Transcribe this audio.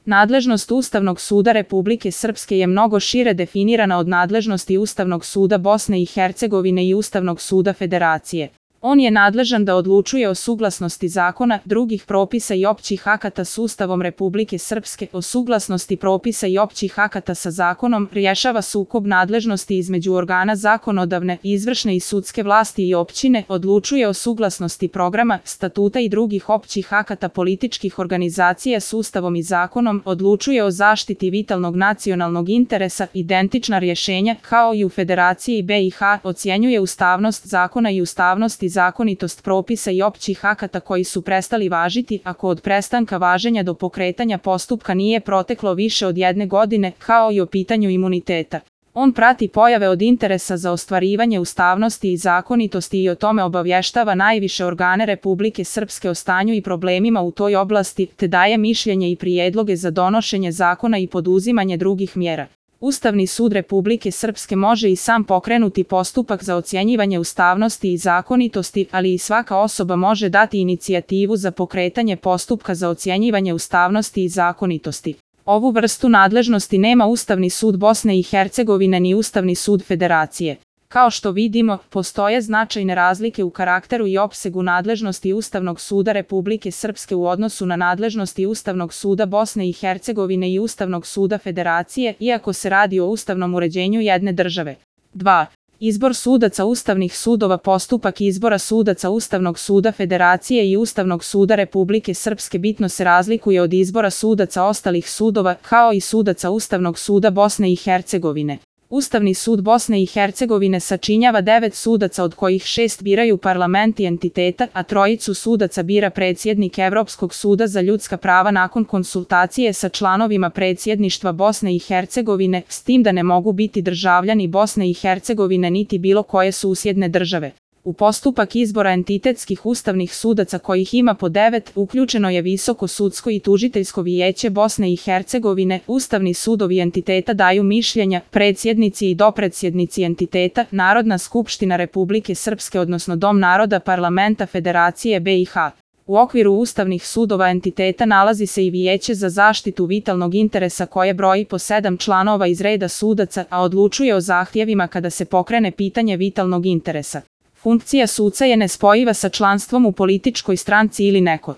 Nadležnost Ustavnog suda Republike Srpske je mnogo šire definirana od nadležnosti Ustavnog suda Bosne i Hercegovine i Ustavnog suda Federacije. On je nadležan da odlučuje o suglasnosti zakona, drugih propisa i općih akata s Ustavom Republike Srpske, o suglasnosti propisa i općih akata sa zakonom, rješava sukob nadležnosti između organa zakonodavne, izvršne i sudske vlasti i općine, odlučuje o suglasnosti programa, statuta i drugih općih akata političkih organizacija s Ustavom i zakonom, odlučuje o zaštiti vitalnog nacionalnog interesa, identična rješenja, kao i u Federaciji BiH, ocjenjuje ustavnost zakona i ustavnost i zakonitost propisa i općih akata koji su prestali važiti, ako od prestanka važenja do pokretanja postupka nije proteklo više od 1 godine, kao i o pitanju imuniteta. On prati pojave od interesa za ostvarivanje ustavnosti i zakonitosti i o tome obavještava najviše organe Republike Srpske o stanju i problemima u toj oblasti, te daje mišljenje i prijedloge za donošenje zakona i poduzimanje drugih mjera. Ustavni sud Republike Srpske može i sam pokrenuti postupak za ocjenjivanje ustavnosti i zakonitosti, ali i svaka osoba može dati inicijativu za pokretanje postupka za ocjenjivanje ustavnosti i zakonitosti. Ovu vrstu nadležnosti nema Ustavni sud Bosne i Hercegovine ni Ustavni sud Federacije. Kao što vidimo, postoje značajne razlike u karakteru i opsegu nadležnosti Ustavnog suda Republike Srpske u odnosu na nadležnosti Ustavnog suda Bosne i Hercegovine i Ustavnog suda Federacije, iako se radi o ustavnom uređenju jedne države. 2. Izbor sudaca ustavnih sudova. Postupak izbora sudaca Ustavnog suda Federacije i Ustavnog suda Republike Srpske bitno se razlikuje od izbora sudaca ostalih sudova, kao i sudaca Ustavnog suda Bosne i Hercegovine. Ustavni sud Bosne i Hercegovine sačinjava 9 sudaca, od kojih 6 biraju parlamenti entiteta, a 3 sudaca bira predsjednik Evropskog suda za ljudska prava nakon konsultacije sa članovima predsjedništva Bosne i Hercegovine, s tim da ne mogu biti državljani Bosne i Hercegovine niti bilo koje susjedne države. U postupak izbora entitetskih ustavnih sudaca, kojih ima po 9, uključeno je Visoko sudsko i tužiteljsko vijeće Bosne i Hercegovine. Ustavni sudovi entiteta daju mišljenja, predsjednici i dopredsjednici entiteta, Narodna skupština Republike Srpske odnosno Dom naroda Parlamenta Federacije BiH. U okviru ustavnih sudova entiteta nalazi se i Vijeće za zaštitu vitalnog interesa koje broji po 7 članova iz reda sudaca, a odlučuje o zahtjevima kada se pokrene pitanje vitalnog interesa. Funkcija suca je nespojiva sa članstvom u političkoj stranci ili nekoj